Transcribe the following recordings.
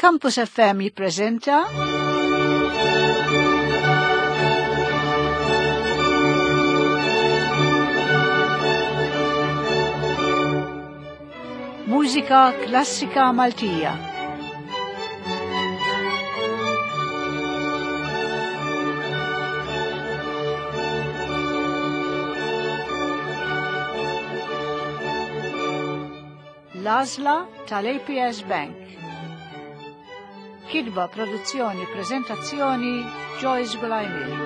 Campus FM jippreżenta Mużika Klassika Maltija. L-għażla tal-APS Bank. Kitba, produzzjoni, prezentazzjoni Joyce Gulajmili.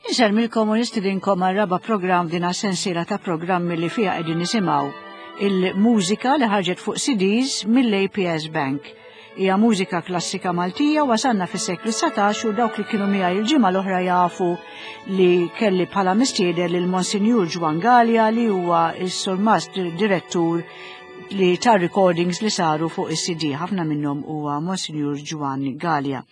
Inselmilkom u nistidinkom għal raba programm din sensiela ta' programmi li fiha qegħdin nisimgħu il-mużika li ħarġet fuq CDs mill-APS Bank. Hija mużika klassika Maltija wasalna fis-seklu 19 u dawk li kienu miegħi il-ġimgħa l-oħra jafu li kelli bħala mistieden lil Monsinjur Ġwan Galea li huwa s-surmast direttur li ta' recordings li saru fuq is-CD ħafna minnhom huwa Monsinjur Ġwan Galea.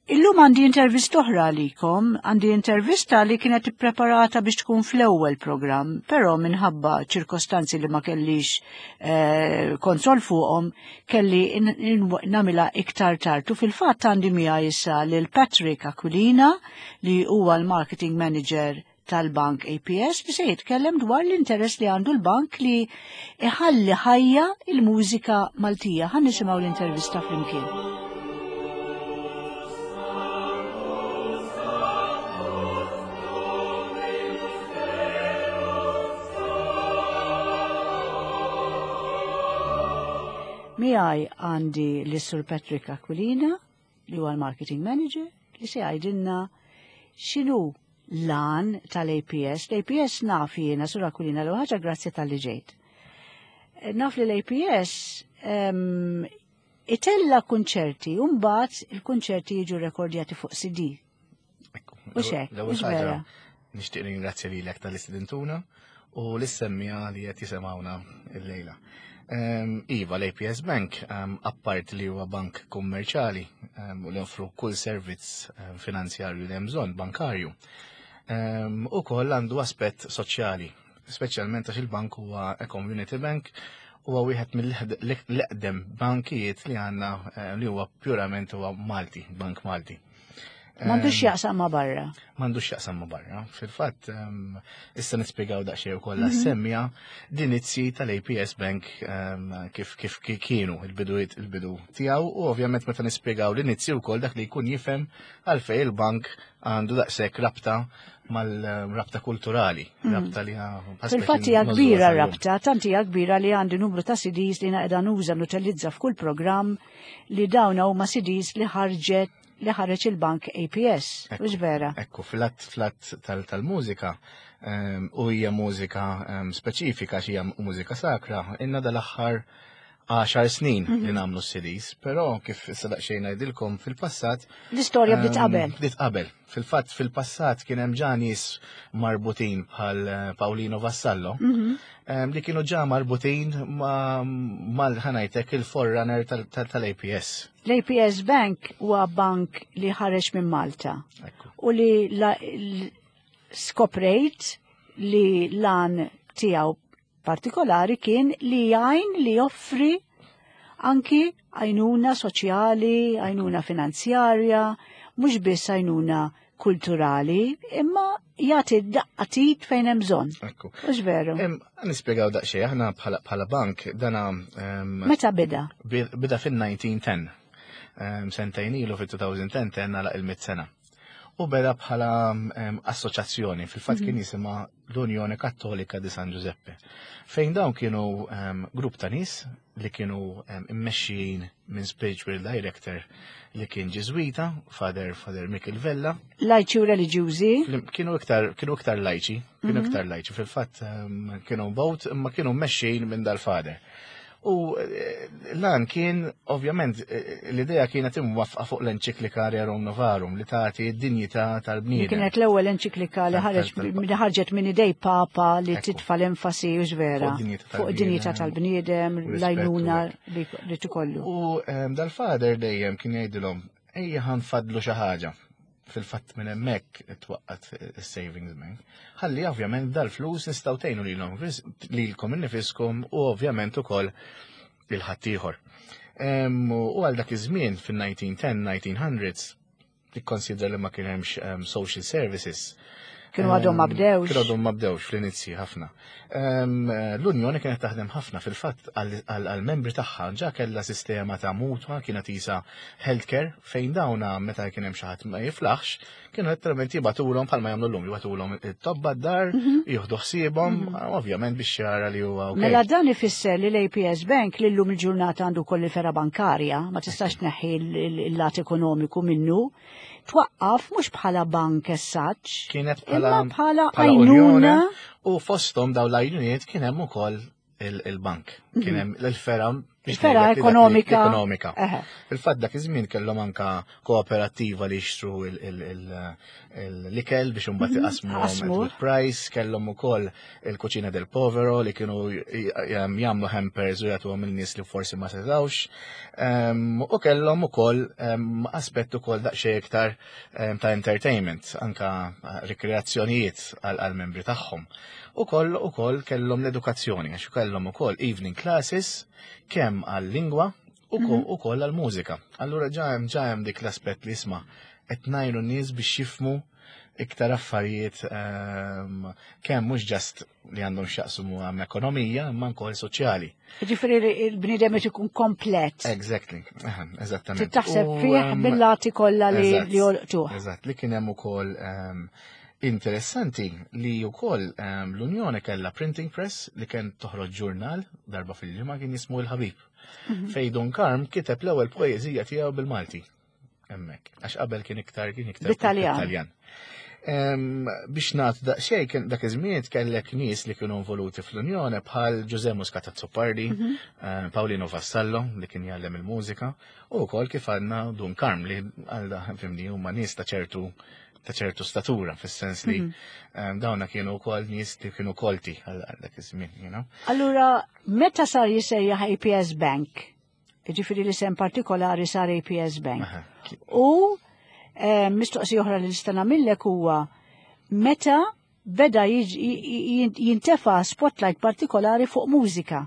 Illum għandi intervista oħra għalikom, għandi intervista li kienet ippreparata biex tkun fl-ewwel programm, però minħabba ċirkostanzi li ma kellix eh, kontroll fuqhom, kelli nagħmilha iktar tard. U fil-fatt għandi miegħi issa lil Patrick Aquilina li huwa l-marketing manager tal-Bank APS li se jitkellem dwar l-interess li għandu l-bank li iħalli ħajja il-mużika Maltija. Ħa nisimgħu l-intervista flimkien. Miegħi għandi l-Sur Patrick Aquilina, li huwa l-Marketing Manager, li se jgħidilna x'inhu l-għan tal-APS. L-APS naf jiena Sur Aquilina l ħaġa grazzi tal-li ġejt. Eh, naf li l-APS um, itella kunċerti, u mbagħad il-kunċerti jiġu rekordjati fuq CD. U xek, u vera. Nixtieq ringrazzja lilek tal-istudentuna u l-semmija li qed jisimgħuna l-lejla. Ehm, iva, l-APS Bank, ehm, appart li huwa bank kummerċali ehm, u li offru kull servizz finanzjarju li hemm bżonn bankarju, u koll għandu aspett soċjali, speċjalment għax il-bank huwa a community bank huwa wieħed mill-eqdem bankijiet li għandna li huwa purament huwa Malti, bank Malti. M'għandux jaqsam ma' barra. M'għandux jaqsam ma' barra. Fil-fatt, issa nispjegaw daqsxejn ukoll mhm. semmija l-inizji tal-APS Bank kif kif kienu il-bidu il-bidu tiegħu u ovvjament meta nispjegaw l-inizji wkoll dak li jkun jifhem għalfejn il-bank għandu daqshekk rabta mal-rabta kulturali, mhm. rabta li Fil-fatt hija kbira rabta, tant hija kbira li għandi numru ta' CDs li naqda nuża nutilizza f'kull programm li dawn huma CDs li ħarġet li ħareġ il-bank APS, mhux vera? Ekku, flat flat tal-mużika ehm, u hija mużika ehm, speċifika xi hija mużika sakra, inna dal-aħħar 10 snin li mhm. nagħmlu CDs, però kif issa daqsxejn ngħidilkom fil-passat. L-istorja bdiet ehm, qabel. Bdiet qabel. Fil-fatt fil-passat kien hemm ġa nies marbutin bħal eh, Paolino Vassallo mhm. ehm, li kienu ġa marbutin mal-ħanajtek il-forerunner tal-APS. L-APS Bank huwa bank li ħareġ minn Malta u li skoprejt li lan tiegħu partikolari kien li jgħin li joffri anki għajnuna soċjali, għajnuna finanzjarja, mhux biss għajnuna kulturali, imma jagħti daqqatit fejn hemm bżonn. Ekku. Mhux veru. Nispjegaw daqsxejn aħna bħala bank dana Meta bida? Bida fin-1910. Sentejn ilu fit-2010 tenna laq il-mit sena. U beda bħala assoċjazzjoni, fil-fatt kien mhm. jisimha l-Unjoni Kattolika di San Giuseppe. Fejn dawn kienu grupp ta' nies li kienu immexxijin minn spiritual director li kien Ġiżwita, Father Father Michael Vella. Lajċi u reliġjużi? Kienu iktar kienu iktar lajċi, kienu mhm. iktar lajċi. Fil-fatt kienu bot imma kienu mmexxijin minn dal-father. U eh, lan kien, ovvjament, eh, l-idea kienet imwafqa fuq l-enċiklika Rerum Novarum li tagħti d-dinjità tal-bniedem. Kienet l-ewwel enċiklika li ħarġet minn idej Papa li titfa' l-enfasi u vera fuq id-dinjità tal-bniedem, l-għajnuna li tikollu. U ehm, dal-fader dejjem kien jgħidilhom ejja ħanfadlu xi ħaġa. Fil-fatt minn hemmhekk twaqqat is-Savings Bank. Ħalli ovvjament dal-flus nistgħu tgħinu lilhom lilkom innifiskom u ovvjament ukoll lil ħaddieħor. U għal dak iż-żmien fin-1910, 1900s, tikkonsidra li ma kien hemmx social services. Kienu għadhom ma bdewx. Kienu għadhom ma bdewx fl-inizji ħafna. L-Unjoni kienet taħdem ħafna fil-fatt għal-membri tagħha ġa kellha sistema ta' mutwa, kienet isa healthcare, fejn dawna meta kien hemm xi ħadd ma jiflaħx, kienu letteralment jibatulhom bħalma jagħmlu llum, jibatulhom it-tobba d-dar, jieħdu ħsiebhom, ovvjament biex jara li huwa ok. Mela dan ifisser li l-APS Bank li llum il-ġurnata għandu koll il-fergħa bankarja, ma tistax tneħħi il-lat ekonomiku minnu, twaqqaf mhux bħala bank as such, Kienet bħala imma bħala bħala għajnuna. U fosthom dawn l-għajnuniet kien hemm ukoll il-bank. Kien hemm l-fergħa biex Il-fergħa ngħidlek li dak li- ekonomika. Ekonomika. Fil-fatt dak iż-żmien kellhom anka kooperattiva li jixtru l-ikel biex imbagħad iqasmu Qasmu. good price, kellhom ukoll il-Cucina del Povero li kienu jagħmlu hampers u jagħtuhom il-nies li forsi ma setgħux. U kellhom ukoll aspett ukoll daqsxejn iktar ta' entertainment, anka rikreazzjonijiet għal-membri tagħhom. Ukoll kellhom l-edukazzjoni, għax kellhom ukoll evening classes kemm għal-lingwa u ukoll għal-mużika. Allura ġa hemm dik l-aspett li isma' qed ngħinu n-nies biex jifhmu iktar affarijiet kemm mhux just li għandhom x'jaqsmu għam ekonomija imma wkoll soċjali. Ġifieri li il-bniedem qed ikun komplet. Exactly, eżattament. Trid taħseb U, fih bil-lati kollha li li jolqtuh. Eżatt, li kien hemm ukoll interessanti li wkoll l-Unjoni kellha printing press li kien toħroġ ġurnal darba fil-ġimgħa, kien jismu Il-Ħabib. Fejn Dun Karm kiteb l-ewwel poeżija tiegħu bil-Malti. Hemmhekk, għax qabel kien iktar Bit-Taljan. Bit-Taljan. Biex nagħtu daqsxejn, kien dak iż-żmien kellek nies li kienu involuti fl-Unjoni bħal Ġuże Muscat Azzopardi, Paolino Vassallo li kien jgħallem il-mużika, u wkoll kif għandna Dun Karm li għal fimni huma nies ta' ċertu statura, fis-sens li dawna kienu wkoll nies li kienu kolti għal dak iż-żmien. Allura, meta sar jissejjaħ APS Bank? Ġifieri li sem partikolari sar APS Bank. U mistoqsija oħra li nista' nagħmillek huwa meta beda jintefa spotlight partikolari fuq mużika.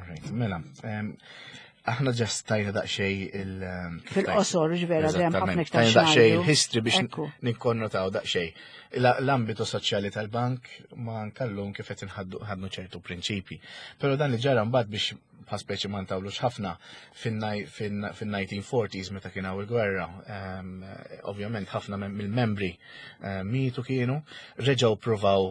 Right, mela, aħna just tajna daqsxejn il- kif tajt? Fil-qosor, ġvera, dejjem ħafna Eżattament, iktar tajna daqsxejn x'ngħidu. il-history biex nikkonnotaw daqsxejn. L-ambitu soċjali tal-bank ma nkallum kif qed inħaddu ħadnu ċertu prinċipi. Però dan li ġara mbagħad, biex bħal speċi ma ntawlux ħafna, fin-1940s meta kien hawn il-gwerra, ovvjament ħafna mill-membri mietu, kienu reġgħu provaw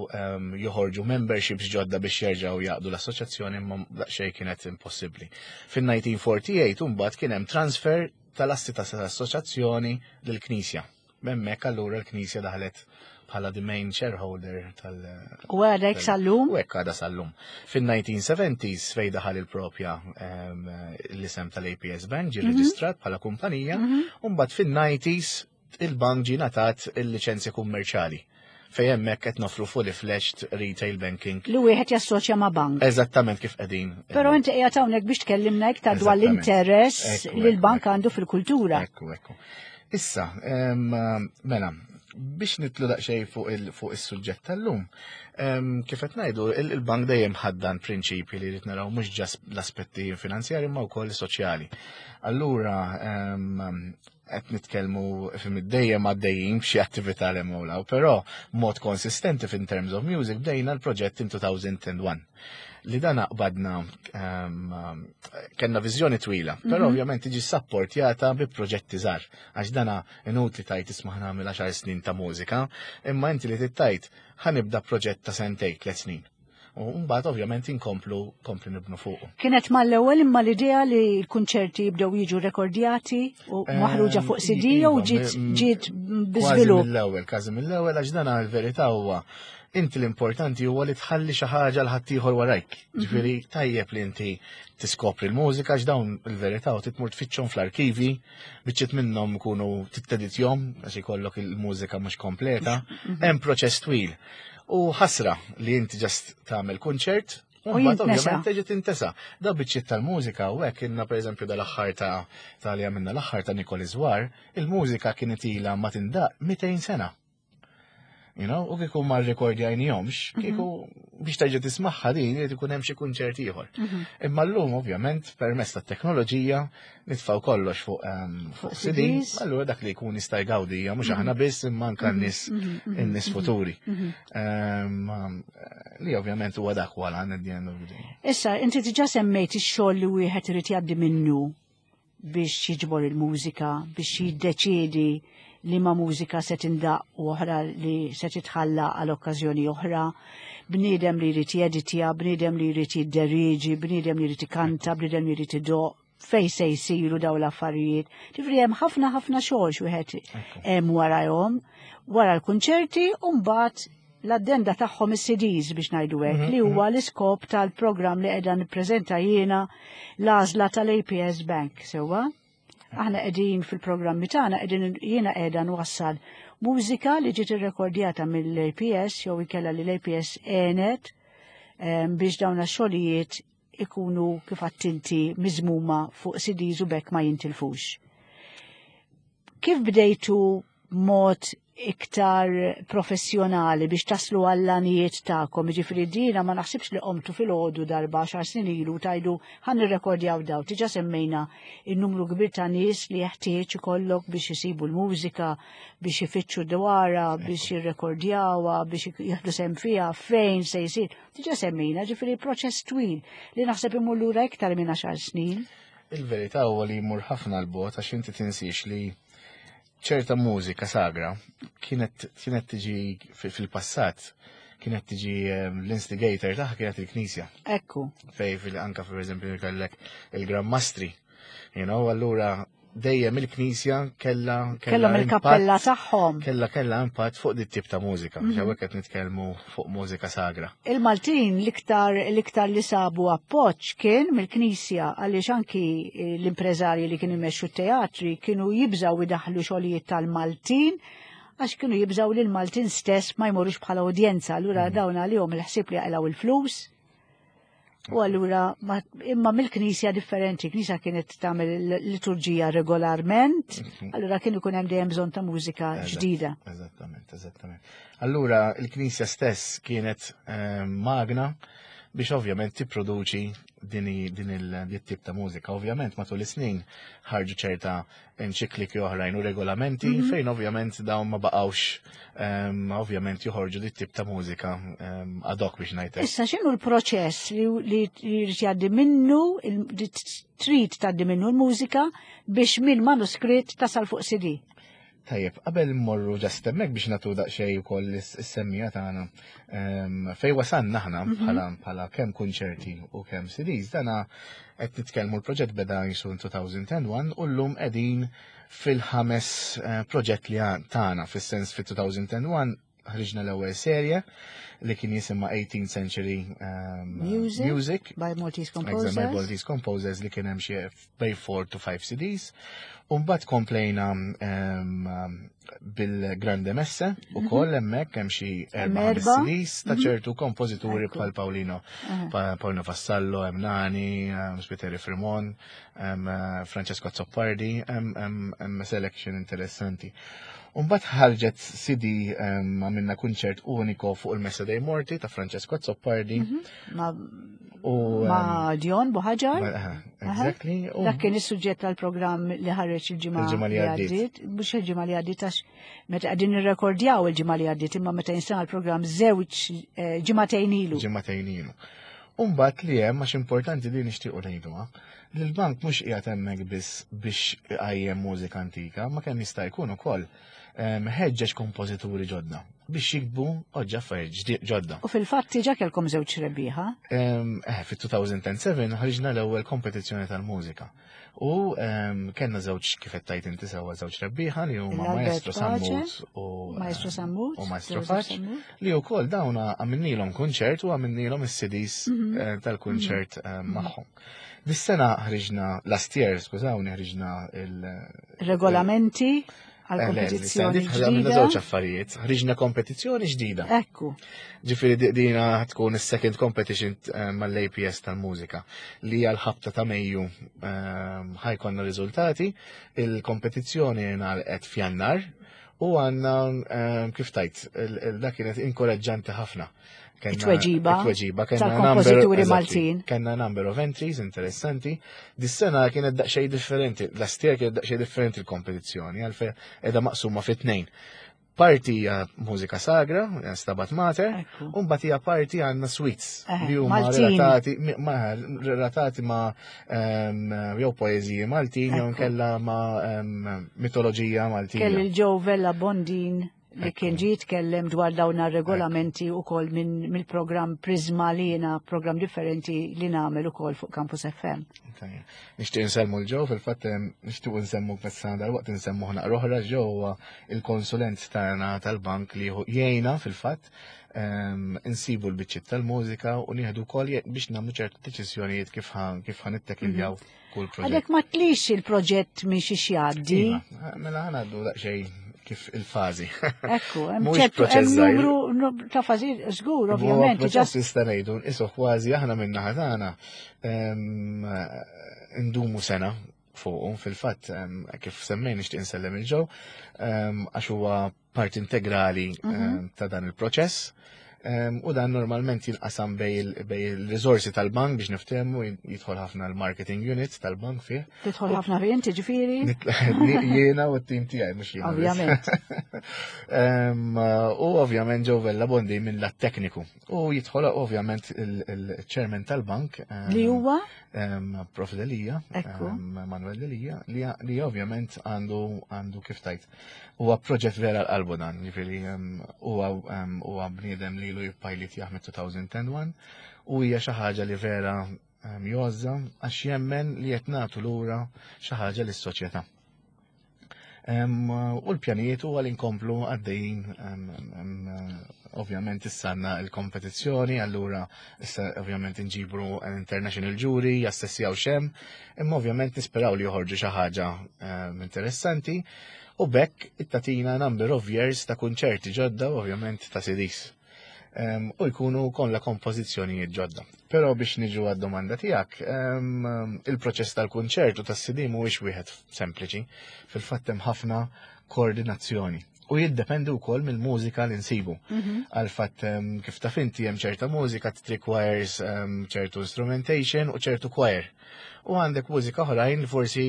joħorġu memberships ġodda biex jerġgħu jaqdu l-assoċjazzjoni, imma daqsxejn kienet impossibbli. Fin-1948 mbagħad kien hemm transfer tal-assi tas-assoċjazzjoni lill-Knisja. Hemmhekk allura l-Knisja daħlet bħala the main shareholder tal- U għadek sal-lum? U hekk għadha sal-lum. Fin-1970s fej daħal il-propja l-isem tal-APS Bank ġi reġistrat bħala kumpanija, u mbagħad fin-90s il-bank ġi ngħatat il-liċenzja kummerċali fejn hemmhekk qed nofru fully fledged retail banking. Li wieħed jassoċja ma' bank. Eżattament kif qegħdin. Però inti qiegħed hawnhekk biex tkellimna iktar dwar l-interess li l-bank għandu fil-kultura. Ekku. Issa, mela, biex nitlu daqsxejn fuq is-suġġett tal-lum, kif qed ngħidu, il-bank dejjem ħaddan prinċipji li rrid naraw mhux just l-aspetti finanzjari ma wkoll soċjali. Allura, qed nitkellmu fim dejjem għaddejjin b'xi attività l hemm, però mod konsistenti in terms of music bdejna l-proġett in 2001 li dan qbadna kellna viżjoni twila, però ovvjament tiġi supportjata bi proġetti żgħar, għax dana inutli tajt isma' nagħmel 10 snin ta' mużika, imma inti li tittajt ħa nibda proġett ta' sentejn, 3 snin. U mbagħad ovvjament inkomplu kompli nibnu fuqu. Kienet mal-ewwel imma l-idea li l-kunċerti jibdew jiġu rekordjati u maħruġa fuq CD u Iva, ġiet ġiet Kważi biżvilupp. mill-ewwel, kważi mill-ewwel, għax dan il-verità huwa inti l-importanti huwa li tħalli xi ħaġa l ħaddieħor warajk. Ġifieri tajjeb li inti tiskopri l-mużika, għax dawn il-verità u titmur tfittxhom fl-arkivi, biċċiet minnhom ikunu titteditjhom għax ikollok il-mużika mhux kompleta, hemm proċess twil. U ħasra li inti just tagħmel kunċert. U mbagħad ovvjament teġi tintesa. Da biċċiet tal-mużika u hekk inna pereżempju dal-aħħar ta' ta' li għamilna l-aħħar ta' Nikoli Zwar, il-mużika kienet ilha ma tindaq 200 sena. You know, u kieku ma rrekordjajnihomx, mhm. kieku biex terġa' tismagħha din irid ikun hemm xi kunċert ieħor. Mhm. Imma llum ovvjament permezz tat-teknoloġija nitfgħu kollox fuq ehm, fuq CD, allura dak li jkun jista' jgawdija mhux mhm. aħna biss imma anke n-nies in-nies futuri. Ehm, li ovvjament huwa dak wara at the end of the day. Issa, inti diġà semmejt ix-xogħol li wieħed irid jgħaddi minnu biex jiġbor il-mużika, biex jiddeċiedi li ma mużika se tindaq u oħra li se titħalla għal okkażjoni oħra, bniedem li jrid jeditja, bniedem li jrid jidderieġi, bniedem li jrid ikanta, bniedem li jrid idoq, fej se jsiru daw l-affarijiet. Ġifri hemm ħafna ħafna xogħol xi hemm warahom, wara l-kunċerti u mbagħad l-addenda tagħhom is-CDs biex ngħidu hekk mhm, li huwa mhm. l-iskop tal-programm li qiegħda nippreżenta jiena l-għażla tal-APS Bank sewwa. Aħna qegħdin fil-programmi tagħna qegħdin jiena qiegħda nwassal mużika li ġiet irrekordjata mill-APS jew ikella li l-APS għenet biex dawn xogħlijiet ikunu kif attinti miżmuma fuq CDs u bekk ma jintilfux. Kif bdejtu mod iktar professjonali biex taslu għall-għanijiet tagħkom, jiġifieri dina ma naħsibx li qomtu filgħodu darba xar snin ilu tajdu ħan nirrekordjaw daw. Tiġa semmejna il-numru kbir ta' nies li jeħtieġ ikollok biex isibu l-mużika, biex ifittxu dwarha, biex jirrekordjawha, biex jieħdu sem fiha, fejn se jsir. Diġa semmejna, ġifieri proċess twil li naħseb imur lura iktar minn 10 snin. Il-verità huwa li jmur ħafna l-bot għax inti tinsiex li ċerta mużika sagra kienet kienet tiġi fil-passat kienet tiġi ehm, l-instigator tagħha kienet il-Knisja. Ekku. Fej fil anka per eżempju kellek il-Gran Mastri. You know, allura dejjem il-Knisja kella kellhom il-kappella tagħhom. Kella kella impatt fuq dit tip ta' mużika, mm -hmm. qed nitkellmu fuq mużika sagra. Il-Maltin l-iktar l-iktar li sabu appoġġ kien mill-Knisja għaliex anki eh, l-impreżarji li kienu jmexxu teatri kienu jibżgħu idaħħlu xogħlijiet tal-Maltin għax kienu jibżgħu li l-Maltin stess ma jmorux bħala udjenza, allura mm. dawn għalihom il-ħsieb li jaqilgħu il-flus U allura, imma mill-knisja differenti, knisja kienet tagħmel liturġija regolarment, mhm. allura kien ikun hemm dejjem bżonn ta' mużika ġdida. Eżattament, eżattament. Allura il-knisja stess kienet eh, magna biex ovvjament tipproduċi din il-tip ta' mużika. Ovvjament matul is-snin ħarġu ċerta enċikliki oħrajn u regolamenti mm -hmm. fejn ovvjament dawn ma baqgħux um, ovvjament joħorġu dit tip ta' mużika um, ad hoc biex ngħidlek. Issa x'inhu l-proċess li li jrid jgħaddi minnu li trid tgħaddi minnu l-mużika biex minn manuskritt tasal fuq CD? Tajjeb, qabel mmorru ġast hemmhekk biex nagħtu daqsxejn ukoll is-semmija tagħna ehm, fej wasanna aħna mhm. bħala bħala kemm kunċerti u kemm CDs, dana qed nitkellmu l-proġett beda jisu 2001 u llum qegħdin fil-ħames eh, proġett li tagħna fis-sens fit-2001 ħriġna l-ewwel serje li kien jisimha 18th Century um, Music, Music by Maltese Composers. By Maltese Composers li kien hemm xi bej 4 to 5 CDs. U mbagħad komplejna um, bil-Grande Messe u mhm. koll hemmhekk hemm xi erba' CDs ta' mhm. ċertu kompożituri bħal Paulino Paulino Vassallo, hemm Nani, Spiteri Fremon, eh, Francesco Azzopardi, hemm selection interessanti. Umbat ħarġet CD għamilna kunċert uniko fuq il-Messa dei Morti ta' Francesco Azzopardi. Mhm. Ma, ma Dion Buħaġar. Exactly. Dak kien is-suġġett tal-programm li ħareġ il-ġimgħa li għaddiet. Mhux il-ġimgħa li għaddiet għax meta qegħdin nirrekordjaw il-ġimgħa li għaddiet imma meta jinstema' l-programm żewġ eh, ġimagħtejn ilu. Ġimagħtejn ilu. Umbat li hemm għax importanti li nixtiequ ngħiduha, li l-bank mhux qiegħed hemmhekk biss biex iqajjem mużika antika, ma kemm jista' jkun ukoll ehm, ħeġġeġ kompożituri ġodda biex jiktbu oġġa affarijiet ġodda. U fil-fatt diġà kellkom żewġ rebbieħa. Ehm, eh, fit-2007 ħriġna l-ewwel kompetizzjoni tal-mużika. U ehm, kellna żewġ kif qed tajt inti sewwa żewġ rebbieħa li huma Maestro Sammut u Maestro Sammut u Maestro Faċ li wkoll dawn għamilnilhom kunċert u għamilnilhom is-CDs mhm. eh, tal-kunċert eh, mhm. magħhom. Dis-sena ħriġna last year, skużawni, ħriġna il- Regolamenti. għal kompetizzjoni ġdida. Żewġ affarijiet, ħriġna kompetizzjoni ġdida. Ekku. Ġifieri dina tkun is-second competition eh, mal-APS tal-mużika li għal ħabta ta' Mejju eh, ħajkonna riżultati, il-kompetizzjoni ngħalqet f'Jannar u għandna eh, kif tajt, dak kienet inkoraġġanti ħafna. It-tweġiba. It-tweġiba. Tal-kompożituri Maltin. Kenna number of entries interessanti. Dis-sena kienet daqsxejn differenti, last year kienet daqsxejn differenti l-kompetizzjoni, għalfej edha maqsuma fit tnejn. Parti hija mużika sagra, Stabat Mater, u mbagħad hija parti għandna suites eh, li huma relatati ma relatati ma ehm, jew poeżiji Maltin jew kella ma ehm, mitoloġija Maltija. Kelli l-Joe Vella Bondin li kien ġie jitkellem dwar dawn ar-regolamenti wkoll minn mill-programm Prisma li jiena programm differenti li nagħmel ukoll fuq Campus FM. Nixtieq nsemmu l-ġew, fil-fatt nixtieq nsemmu fis-sena dal-waqt nsemmu ħna oħra ġew huwa il-konsulent tagħna tal-bank li jgħinna fil-fatt insibu l-biċċiet tal-mużika u nieħdu wkoll biex nagħmlu ċertu deċiżjonijiet kif kif ħanittekiljaw mhm. kull proġett. Għadek ma tlix il-proġett minn xi jgħaddi. Iva, mela ħanaddu daqsxejn kif il-fażi. Ekku, hemm ċertu hemm numru ta' fażi żgur ovvjament. Proċess tista' ngħidu nqisu kważi aħna minn naħa tagħna ndumu sena fuqu fil-fatt kif semmejn nixtieq insellem il-ġew għax huwa parti integrali mhm. ta' dan il-proċess. U dan normalment jinqasam bej il-risorsi tal-bank biex niftehmu jidħol ħafna l-marketing unit tal-bank fih. Tidħol ħafna fih inti ġifieri? Jiena u t-tim tiegħi mhux jiena. Ovvjament. U ovvjament ġew Vella Bondi minn lat tekniku. U jidħol ovvjament il-chairman tal-bank. Li huwa? Prof Delia, Manuel Delia, li ovvjament għandu għandu kif tajt Huwa proġett vera l-qalbu dan, ġifieri huwa huwa bniedem li ilu jippajlit jaħmed 2001 u hija xi ħaġa li vera jgħożża għax jemmen li qed nagħtu lura xi ħaġa lis-soċjetà. U l-pjanijiet huwa li nkomplu għaddejjin ovvjament issa għandna l-kompetizzjoni, allura issa ovvjament nġibru international jury, jassessjaw xem, imma ovvjament nisperaw li joħorġu xi ħaġa interessanti u bekk it-tatina number of years ta' kunċerti ġodda u ovvjament ta' CDs. U jkunu kollha kompożizzjonijiet ġodda. Però biex niġu għad-domanda tiegħek, il-proċess tal-kunċert u tas-CD mhuwiex wieħed sempliċi. Fil-fatt hemm ħafna koordinazzjoni. U jiddependi wkoll mill-mużika li nsibu. Mhm. Għal fatt kif taf inti hemm ċerta mużika requires ċertu instrumentation u ċertu choir. U għandek mużika oħrajn li forsi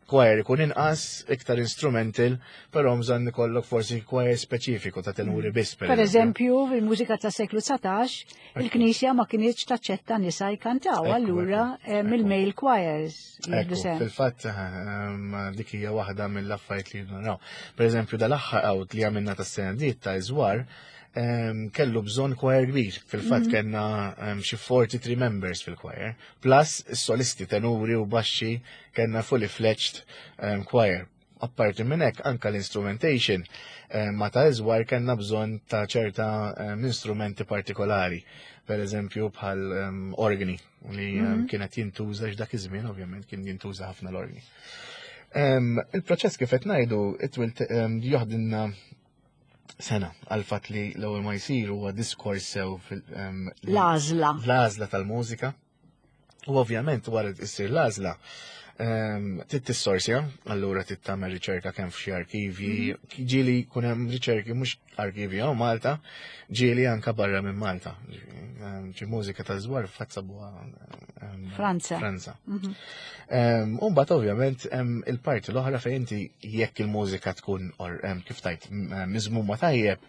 choir ikun inqas, iktar instrumental, però bżonn ikollok forsi choir speċifiku ta' tenuri biss. Per eżempju, fil-mużika ta' seklu 19, il-Knisja ma kinitx taċċetta nisa jkantaw, allura il-male choirs. Fil-fatt, ehm, dik hija waħda mill-affarijiet li naraw. Per eżempju, dal-aħħar out li għamilna tas-sena diet ta' iżwar, ehm, kellu bżonn choir kbir. Fil-fatt mhm. kellna ehm, xi 43 members fil-choir. Plus is-solisti tenuri u baxxi kellna fully fledged um, choir. Apparti minn hekk anka l-instrumentation um, ma ta' iżwar kellna bżonn ta' ċerta um, instrumenti partikolari. Per eżempju bħal um, organi li um, mm -hmm. kienet jintuża x'dak iż-żmien ovvjament kien jintuża ħafna l-organi. Um, il-proċess kif qed ngħidu it will um, joħdilna sena għal fatt li l-ewwel ma jsir huwa diskors sew fil-għażla. L-għażla tal-mużika. U ovvjament wara issir l-għażla trid tissorsja, allura trid tagħmel riċerka kemm f'xi arkivji, mhm. ġieli jkun hemm riċerki mhux arkivji hawn Malta, ġieli anka barra minn Malta. Ġi mużika ta' żwar fatt sabuha Franza. Franza. Mhm. U mbagħad ovvjament hemm il-parti l-oħra fejn inti jekk il-mużika tkun kif tajt miżmuma tajjeb,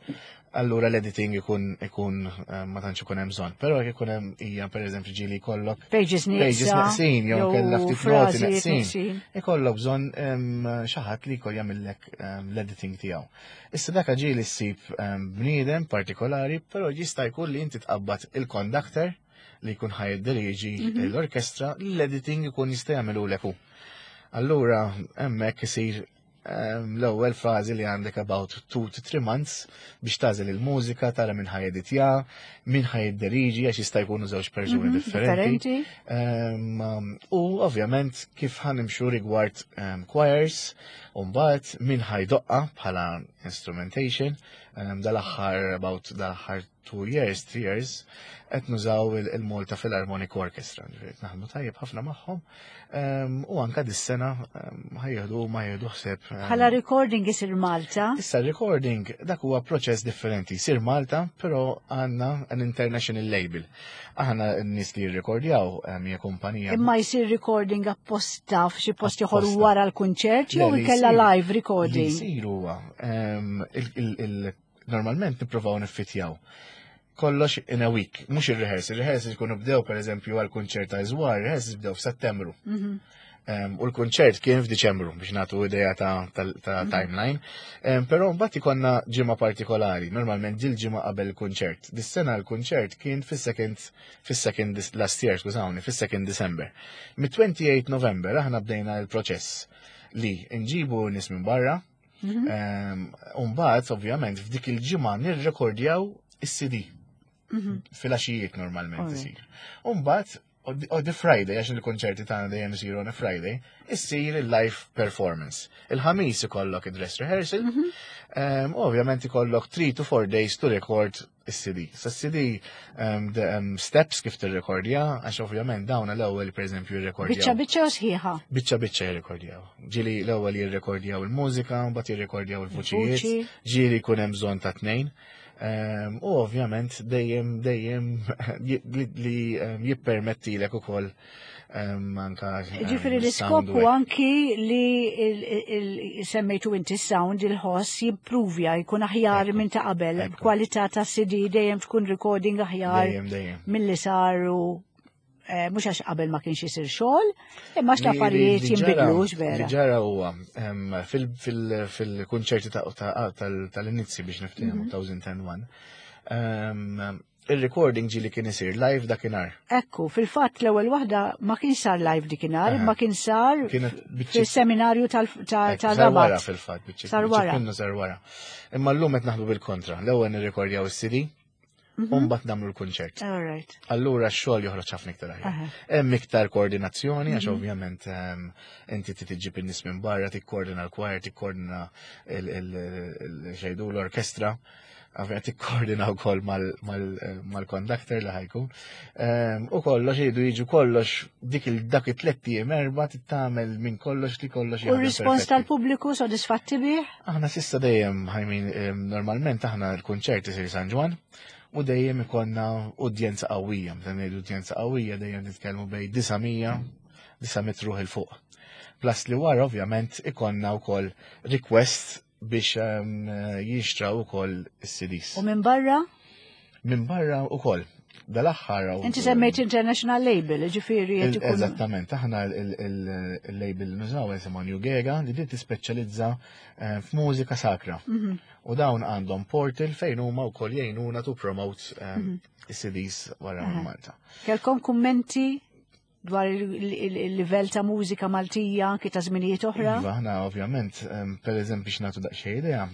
allura l-editing ikun ikun ma tantx ikun hemm bżonn. Però jekk ikun hemm hija pereżempju ġieli jkollok pages neqsin jew kellha ftit noti neqsin. Ikollok bżonn xi ħadd li jkoll jagħmillek l-editing tiegħu. Issa dak ġieli ssib bniedem partikolari, però jista' jkun li inti tqabbad il-conductor li jkun ħaj jiddiriġi mhm. l-orkestra, l-editing ikun jista' jagħmelu leku. Allura hemmhekk isir ehm, l-ewwel fażi li għandek about 2 to 3 months biex tażel il-mużika, tara minn ħaj editja, minn ħaj jidderiġi għax jista' jkunu żewġ persuni mhm, differenti. Ehm, u ovvjament kif ħanimxu rigward ehm, choirs. Umbagħad min ħa jdoqqha bħala instrumentation, dal-aħħar about dal-aħħar 2 years, 3 years, qed nużaw il-Malta Philharmonic Orchestra, ġifieri naħdmu tajjeb ħafna magħhom. U anka dis-sena ħa jieħdu ma jieħdu ħsieb. Bħala recording isir Malta? Issa recording dak huwa proċess differenti. Sir Malta, però għandna an international label. Aħna n-nies li jirrekordjaw hija kumpanija. Imma jsir recording apposta f'xi post ieħor wara l-kunċert jew inkella live recording? Li jsir huwa normalment nippruvaw niffitjaw kollox in a week, mhux il-rehearsal. Il-rehearsal jkunu bdew per eżempju għal kunċert ta' Żwar, il-rehearsal bdew f'Settembru. U l-kunċert kien f'Diċembru biex nagħtu idea ta' timeline. Però mbagħad ikollna ġimgħa partikolari, normalment dil ġimgħa qabel il-kunċert. Dis-sena l-kunċert kien fis-second last year, skużawni, fis-second December. Mit-28 November aħna bdejna l-proċess li nġibu nies minn barra. Umbagħad, ovvjament, f'dik il-ġimgħa nirrekordjaw is-CD. Filgħaxijiet normalment isir. Umbagħad, on the Friday, għax il-konċerti tagħna dejjem isiru on a Friday, issir il-live performance. Il-ħamis ikollok id-dress rehearsal, ovvjament ikollok 3 to 4 days to record is-CD. Sa CD the steps kif tirrekordja, għax ovvjament dawn l-ewwel pereżempju jirrekordjaw. Biċċa biċċa u sħiħa. Biċċa biċċa jirrekordjaw. Ġieli l-ewwel jirrekordjaw il-mużika, mbagħad jirrekordjaw il-vuċijiet, ġieli jkun hemm bżonn ta' tnejn. U ovvjament dejjem dejjem li jippermettilek ukoll anka Ġifieri l-iskop sound u anki li semmejtu inti sound il-ħoss jimpruvja, jkun aħjar minn ta' qabel, kwalità ta' CD dejjem tkun recording aħjar Dejjem, dejjem. mill-li saru mhux għax qabel ma kienx isir xogħol, imma għax l-affarijiet jinbidlux Li vera. ġara huwa fil-kunċerti tal-inizzi biex niftehmu 2001. Il-recording ġieli kien isir live dakinhar. Ekku, fil-fatt l-ewwel waħda ma kien sar live dikinhar, imma kien sar Kienet biċċi- fil-seminarju Ekku, sar wara tal-Rabat. fil-fatt, biċċi Sar biċċi wara. minnu sar wara. Imma llum qed naħdmu bil-kontra. L-ewwel nirrekordjaw is-CD, u mbagħad nagħmlu l-kunċert. All right. Allura x-xogħol joħroġ ħafna iktar aħjar. Hemm iktar koordinazzjoni għax ovvjament inti trid iġġib in-nies minn barra, tikkoordina l-choir, tikkoordina xejdu l-orkestra, ovvjament tikkoordina wkoll mal-conductor li ħa jkun. U kollox jgħidu jiġu kollox dik il dak it-tliet ijiem erba' tagħmel minn kollox li kollox U jaħdem r-rispons perfetti. tal-pubbliku sodisfatti bih? Aħna s'issa dejjem, I mean, normalment aħna l-kunċert isir San Ġwann u dejjem ikollna udjenza qawwija. Meta ngħidu udjenza qawwija dejjem nitkellmu bejn 900 900 ruħ 'il fuq. Plus li wara ovvjament ikollna wkoll request biex jinxtraw ukoll is-CDs. U minn barra? Minn barra ukoll. Dal-aħħar Inti semmejt international label, ġifieri qed ikun. Eżattament, aħna il-label nużaw jisimha New Gega li din tispeċjalizza f'mużika sakra. U dawn għandhom portal fejn huma wkoll jgħinuna to promote is-CDs wara minn Malta. Kelkom kummenti dwar il-livell ta' mużika Maltija anki ta' żminijiet oħra? Iva, aħna ovvjament, per eżempju biex nagħtu daqsxejn idea,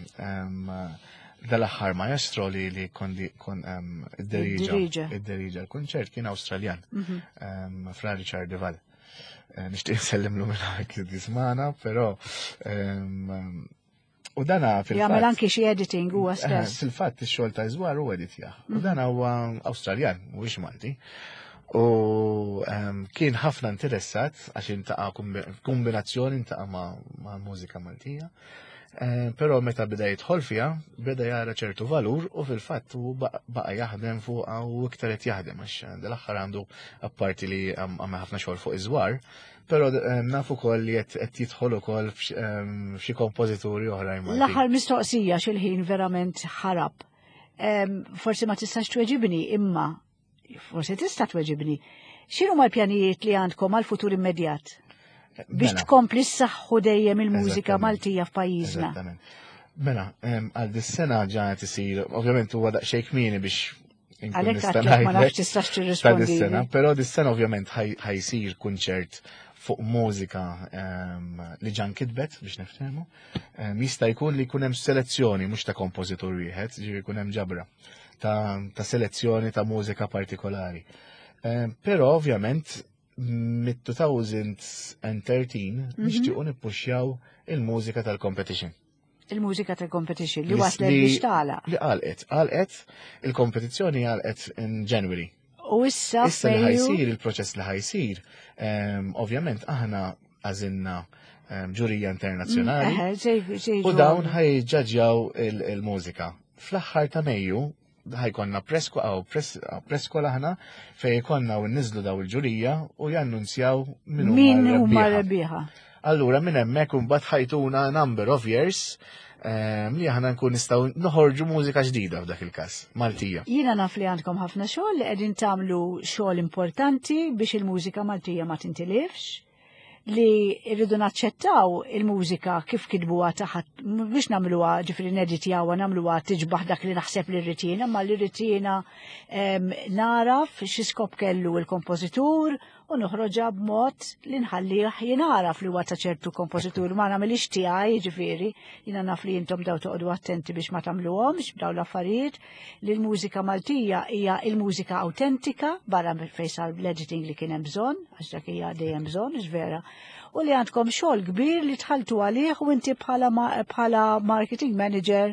dal-aħħar maestro li kon id-deriġa Id-diriġa. id-deriġa l-kunċert kien Awstraljan, Fra Richard Deval. Nixtieq nsellimlu minn hawn li tismana, però u dana fil-fatt. Jagħmel anki xi editing huwa stess. Fil-fatt ix-xogħol ta' Żwar u editjah. U dan huwa Awstraljan, mhuwiex Malti. U kien ħafna interessat għax iltaqa' kombinazzjoni iltaqa' ma' mużika Maltija. Però meta beda jidħol fiha, beda jara ċertu valur u fil-fatt u baqa jaħdem fuqha u iktar qed jaħdem għax dal-aħħar għandu apparti li għamel ħafna xogħol fuq iż-żwar, però nafu ukoll li qed jidħol ukoll f'xi kompożituri oħrajn Maltin. L-aħħar mistoqsija x'il-ħin verament ħarab. Forsi ma tistax tweġibni, imma forsi tista' tweġibni. X'inhu l-pjanijiet li għandkom għal futur immedjat? Biex tkompli s-saħħu dejjem il-mużika Maltija f'pajjiżna. Eżattament. Mela, għal dis-sena ġa qed isir, ovvjament huwa daqsxejn kmieni biex inkun Għalhekk nista' għedtlek ma ngħidlek nafx tistax ta' tirrispondi. dis-sena, però dis-sena ovvjament ħa jsir kunċert fuq mużika li ġa nkitbet biex niftehmu. Jista' jkun li jkun hemm selezzjoni mhux ta' kompożitur wieħed, ġifieri jkun hemm ġabra ta' selezzjoni ta' mużika partikolari. Però ovvjament Mit-2013 nixtiequ nippuxjaw il-mużika tal-competition. Il-mużika tal-competition li waslet biex tagħlaq. Li għalqet, għalqet, il-kompetizzjoni għalqet in January. U issa Issa li ħajsir, il-proċess li ħajsir, ovvjament aħna għażilna ġurija internazzjonali. U dawn ħajġaġġjaw il-mużika. Fl-aħħar ta' Mejju ħajkonna preskola aħna fejn jkollna u nniżlu daw il-ġurija u jannunzjaw min huma rebbieħa. Allura minn hemmhekk imbagħad ħajtuna number of years li aħna nkun nistgħu noħorġu mużika ġdida f'dak il-każ, Maltija. Jiena naf li għandkom ħafna xogħol li qegħdin tagħmlu xogħol importanti biex il-mużika Maltija ma tintilifx, li rridu naċċettaw il-mużika kif kitbuha taħt, biex nagħmluha ġifieri neditjawha, nagħmluha tiġbaħ dak li naħseb li rrid jiena, ma li rrid jiena naraf xi skop kellu l-kompożitur u noħroġha b'mod li nħallih jingħaraf li huwa ta' ċertu kompożitur, ma nagħmilix tiegħi, ġifieri, jiena naf li intom daw toqgħodu attenti biex ma tagħmluhomx b'daw l-affarijiet, li l-mużika Maltija hija l-mużika autentika barra fejn sar l-editing li kien hemm bżonn, għax dak hija dejjem bżonn, ix vera, u li għandkom xogħol kbir li tħalltu għalih u inti bħala marketing manager.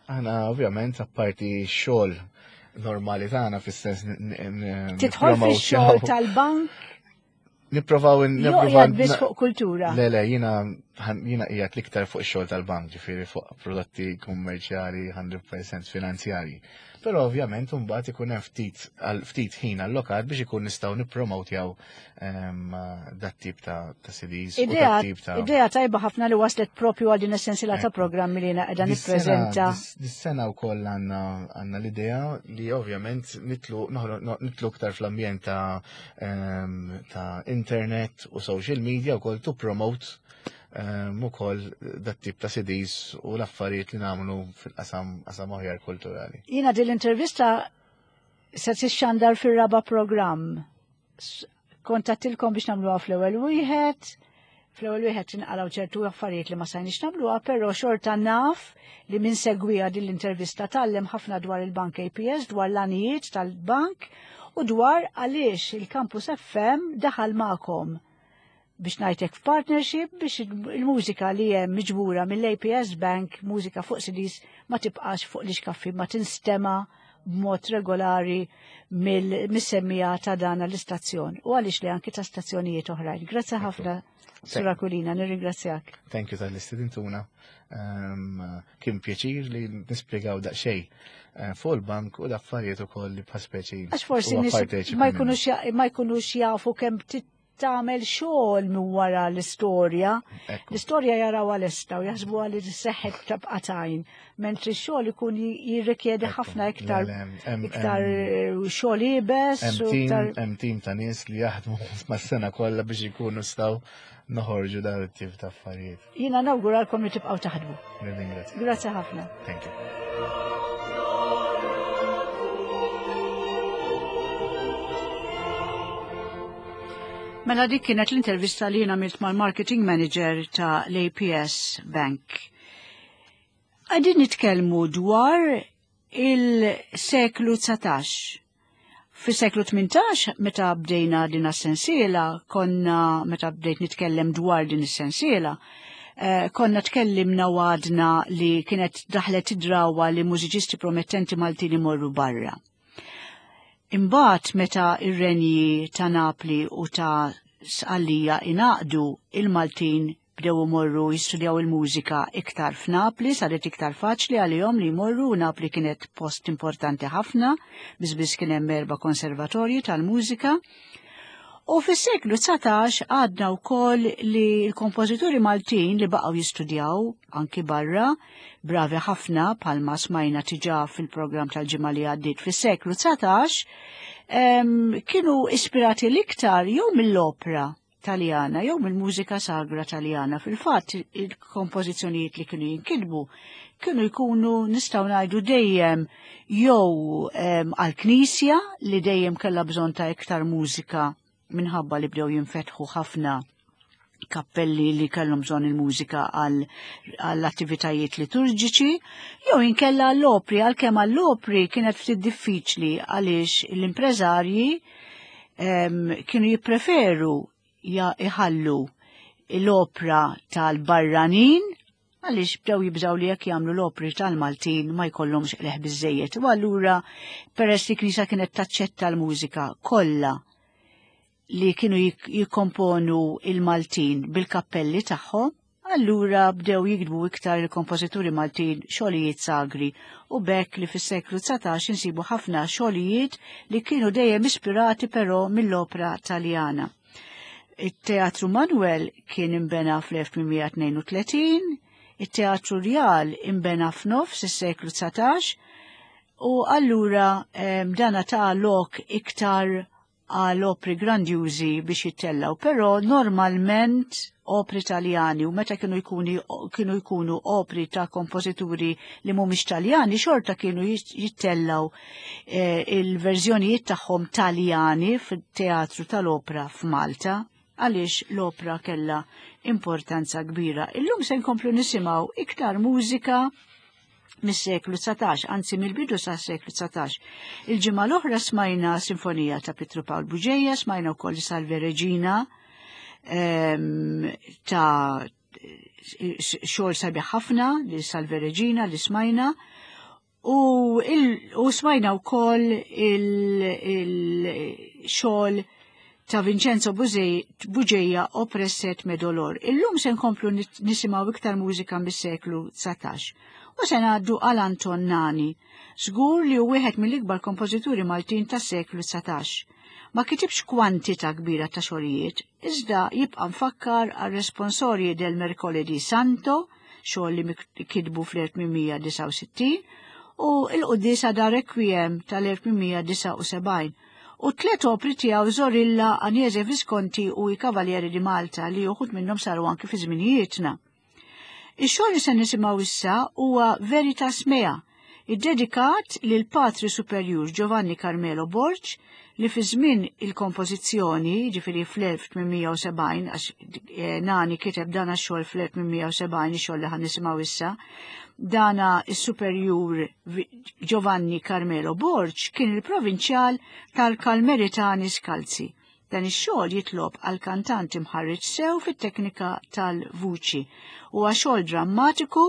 Aħna ovvjament apparti xogħol normali tagħna fis-sens Tidħol nippromow fix-xogħol xogħol. tal-bank? Nipprovaw Jo, nipprovaw qiegħed biss fuq kultura. Le, le, jiena qiegħed l-iktar fuq ix-xogħol tal-bank, ġifieri fuq prodotti kummerċjali 100% finanzjarji. Però ovvjament imbagħad ikun hemm ftit ħin allokat biex ikun nistgħu nippromotjaw dat tip ta' CDs u dat tip ta' Idea tajba ħafna li waslet propju għal din is-sensiela ta' programmi li jiena qiegħda nippreżenta. Dis-sena wkoll għandna l-idea li ovvjament nitlu iktar fl-ambjent ta' internet u social media wkoll to promote ukoll dat tip ta' CDs u l-affarijiet li nagħmlu fil-qasam qasam aħjar kulturali. Jiena din l-intervista se tixxandar fir-raba' programm. Kontattilkom biex nagħmluha fl-ewwel wieħed. Fl-ewwel wieħed inqalgħu ċertu affarijiet li ma sajniex nagħmluha, però xorta naf li min segwiha din l-intervista tgħallem ħafna dwar il-Bank APS, dwar l-għanijiet tal-bank u dwar għaliex il-Campus FM daħal magħkom biex ngħidlek f'partnership biex il-mużika li hemm miġbura mill-APS Bank, mużika fuq CDs, ma tibqax fuq l-ixkaffi, ma tinstema b'mod regolari mis-semmija ta' dan l-istazzjon u għaliex li anki ta' stazzjonijiet oħrajn. Grazzi ħafna, Sur Aquilina, nirringrazzjak. Thank you tal-istedintuna. Kien pjaċir li nispjegaw daqsxejn fuq il-bank u l-affarijiet ukoll li bħal speċi Għax forsi huwa nies parteċipi minnu. ma jkunux jafu kemm tagħmel xogħol minn wara l-istorja. L-istorja jaraw għal-esta u jaħsbu għal li seħħet tabqa' tajn, mentri x-xogħol ikun jirrikjedi ħafna iktar xogħol iebes u iktar Hemm tim ta' nies li jaħdmu mas-sena kollha biex ikunu staw noħorġu dan it-tip ta' affarijiet. Jiena nawguralkom li tibqgħu taħdmu. Nirringrazzja. Grazzi ħafna. Thank you. Mela dik kienet l-intervista li jiena għamilt mal-marketing manager ta' l-APS Bank. Qegħdin nitkellmu dwar il-seklu 19. Fis-seklu 18, meta bdejna din is-sensiela, konna, meta bdejt nitkellem dwar din is-sensiela, konna tkellimna u għadna li kienet daħlet id-drawa li mużiċisti promettenti Maltin imorru barra. Imbagħad meta ir-renji ta' Napli u ta' Sqallija ingħaqdu, il-Maltin bdew imorru jistudjaw il-mużika iktar f'Napli, saret iktar faċli għalihom li jmorru, u Napli kienet post importanti ħafna, biss kien hemm 4 konservatorji tal-mużika. U fis-seklu 19 għadna wkoll li l-kompożituri Maltin li baqgħu jistudjaw anki barra, bravi ħafna bħalma smajna tiġà fil-programm tal-ġimgħa li għaddiet fis-seklu 19, kienu ispirati l-iktar jew mill-opera Taljana jew mill-mużika sagra Taljana. Fil-fatt il-kompożizzjonijiet li kienu jinkitbu kienu jkunu nistgħu ngħidu dejjem jew għall-Knisja li dejjem kellha bżonn ta' iktar mużika minħabba li bdew jinfetħu ħafna kappelli li kellhom bżonn il-mużika għall-attivitajiet liturġiċi, jew inkella għall-opri, għalkemm għall-opri kienet ftit diffiċli għaliex l-impreżarji Kienu jippreferu iħallu l-opra tal-barranin għaliex bdew jibżgħu li jekk jagħmlu l-opri tal-Maltin ma jkollhomx qleħ biżejjed. U allura peress li knisja kienet taċċetta l-mużika kollha li kienu jikkomponu il-Maltin bil-kappelli tagħhom, allura bdew jiktbu iktar il-kompożituri Maltin xogħlijiet sagri u bekk li fis-seklu 19 insibu ħafna xogħlijiet li kienu dejjem ispirati però mill-opra Taljana. It-Teatru Manuel kien imbena fl-1832, it-Teatru Rjal imbena f'nofs is-seklu 19 u allura dana ta' lok iktar għal opri grandjużi biex jittellgħu, però normalment opri Taljani u meta kienu jkunu kienu jkunu opri ta' kompożituri li mhumiex Taljani xorta kienu jittellgħu eh, il-verżjonijiet tagħhom Taljani fit-teatru tal-opra f'Malta għaliex l-opra kellha importanza kbira. Illum se nkomplu nisimgħu iktar mużika mis-seklu 19, anzi mill-bidu sa' seklu 19. Il-ġimgħa l-oħra smajna sinfonija ta' Pietru Pawl Buġeja, smajna wkoll Salve Regina ehm, ta' xogħol sabiħ ħafna li Salve Regina li smajna u, u smajna wkoll il-xogħol il ta' Vincenzo Bugeja Oppresset me Dolor. Illum se nkomplu nisimgħu iktar mużika mis-seklu 19. U se ngħaddu għal Anton Nani, żgur li hu wieħed mill-ikbar kompożituri Maltin tas-seklu 19. Ma kitibx kwantità kbira ta' xogħlijiet, iżda jibqa' mfakkar għal responsorji del Mercoledì Santo, xogħol li kitbu fl-1869, u l-Quddiesa da Requiem tal-1879 u tlet opri tiegħu Zorilla, Agnese Visconti u I Cavalieri di Malta li uħud minnhom saru anki fi żminijietna. Ix-xogħol li se nisimgħu issa huwa Veritas Mea, iddedikat lil Patri Superjur Giovanni Carmelo Borg li fi żmien il-kompożizzjoni, ġifieri fl-1870, għax eh, Nani kiteb dan għax-xogħol fl-1870, ix-xogħol li ħan nisimgħu issa, dana is-Superjur Giovanni Carmelo Borg kien il-provinċjal tal-Kalmeritani Skalzi. Dan ix-xogħol jitlob għal kantant imħarreġ sew fit-teknika tal-vuċi. Huwa xogħol drammatiku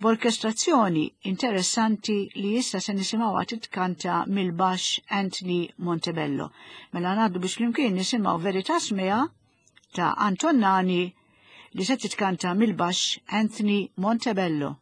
b'orkestrazzjoni interessanti li issa se nisimgħuha titkanta mill-baxx Anthony Montebello. Mela ngħaddu biex flimkien nisimgħu Veritas Mea ta' Anton Nani li se titkanta mill-baxx Anthony Montebello.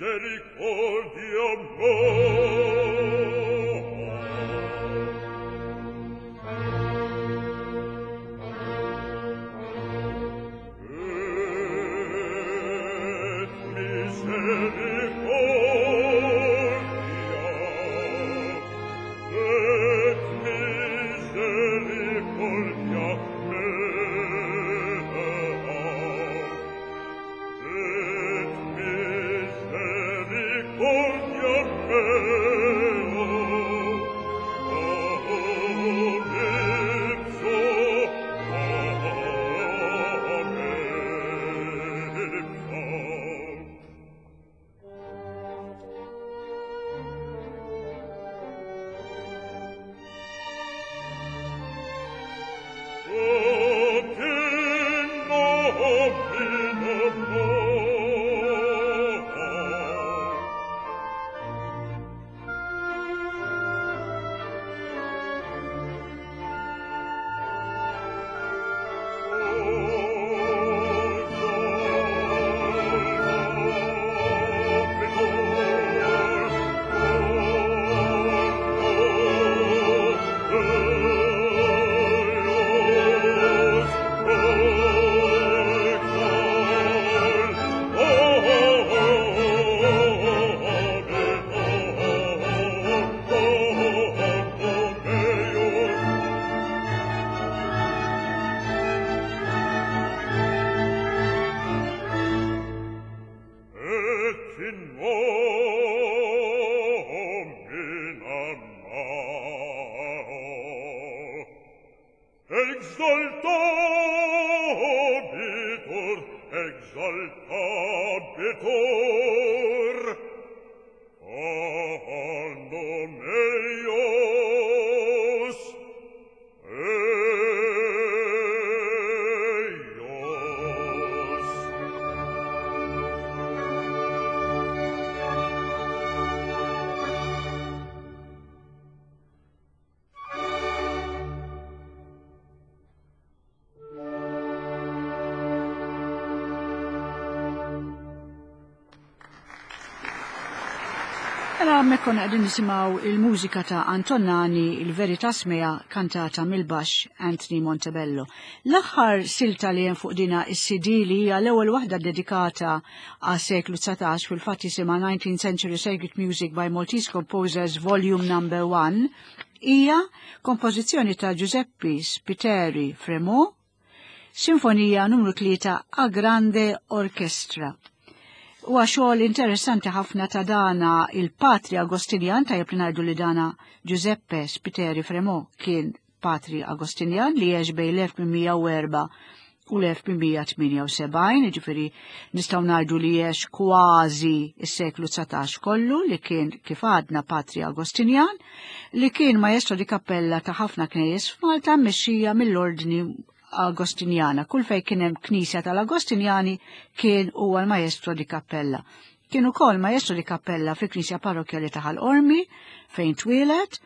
Misericordia mea. Et misericordia, et misericordia mea, et misericordia mea, ipso, amen ipsa. Ut in nomine mea. Et in nomina mea exaltabitur, exaltabitur, anno meius, eius. Mela hemmhekk konna qegħdin nisimgħu il-mużika ta' Anton Nani, il-Veritas Mea, kantata mill-baxx Anthony Montebello. L-aħħar silta li hemm fuq dina is-CD li hija l-ewwel waħda dedikata għas seklu 19 fil-fatt jisimha 19th Century Sacred Music by Maltese Composers Volume Number 1 hija kompożizzjoni ta' Giuseppe Spiteri Fremont, Sinfonija numru 3 a Grande Orchestra. Huwa xogħol interessanti ħafna ta' dana il-Patri Agostinjan, tajjeb li ngħidu li dana Giuseppe Spiteri Fremont kien Patri Agostinjan li għex bejn l-1804 u l-1878, jiġifieri nistgħu ngħidu li għex kważi s-seklu 19 kollu, li kien kif għadna Patri Agostinjan, li kien maestro di kappella ta' ħafna knejjes f'Malta mmexxija mill-Ordni Agostinjana. Kull fejn kien hemm knisja tal-Agostinjani kien huwa l-maestro di kappella. Kien ukoll maestro di kappella fil-knisja parrokkjali ta' Ħal Qormi fejn twieled,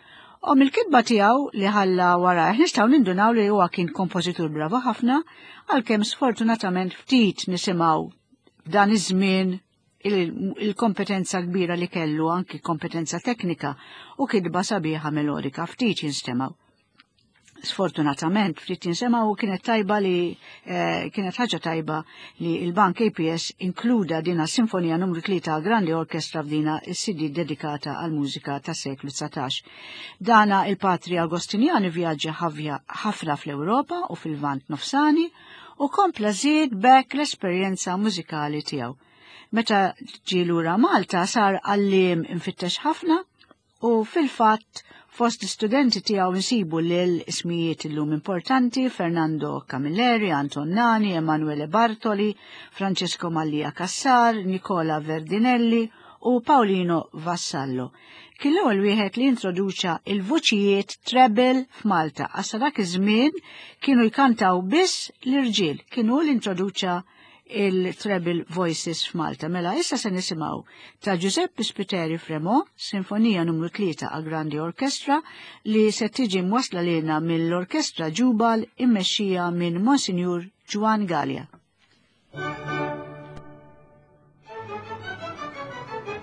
u mill-kitba tiegħu li ħalla warajh nistgħu nindunaw li huwa kien kompożitur bravo ħafna, għalkemm sfortunatament ftit nisimgħu f'dan iż-żmien il-kompetenza kbira li kellu, anki kompetenza teknika u kitba sabiħa melodika, ftit jinstemgħu. Sfortunatament ftit jinsemgħu, u kienet tajba li kienet ħaġa tajba li il-Bank APS inkluda dina sinfonija numru 3 Grandi Orchestra f'dina is-CD dedikata għal mużika tas seklu 19. Dana il-Patri Agostinjani vjaġġa ħafna fl-Ewropa u fil-Lvant Nofsani u kompla żied b'hekk l-esperjenza mużikali tiegħu. Meta ġie lura Malta sar għalliem imfittex ħafna u fil-fatt fost l-istudenti tiegħu nsibu lil ismijiet illum importanti Fernando Camilleri, Anton Nani, Emanuele Bartoli, Francesco Mallia Cassar, Nicola Verdinelli u Paolino Vassallo. Kien l-ewwel wieħed li introduċa il-vuċijiet treble f'Malta. Għax dak iż-żmien kienu jkantaw biss l-irġiel. Kien hu li introduċa il-treble voices f'Malta. Mela issa se nisimgħu ta' Giuseppe Spiteri Fremont, Sinfonija numru 3 a Grandi Orchestra, li se tiġi mwasla lilna mill-Orkestra Ġubal immexxija minn Monsignor Juan Galea. Thank you.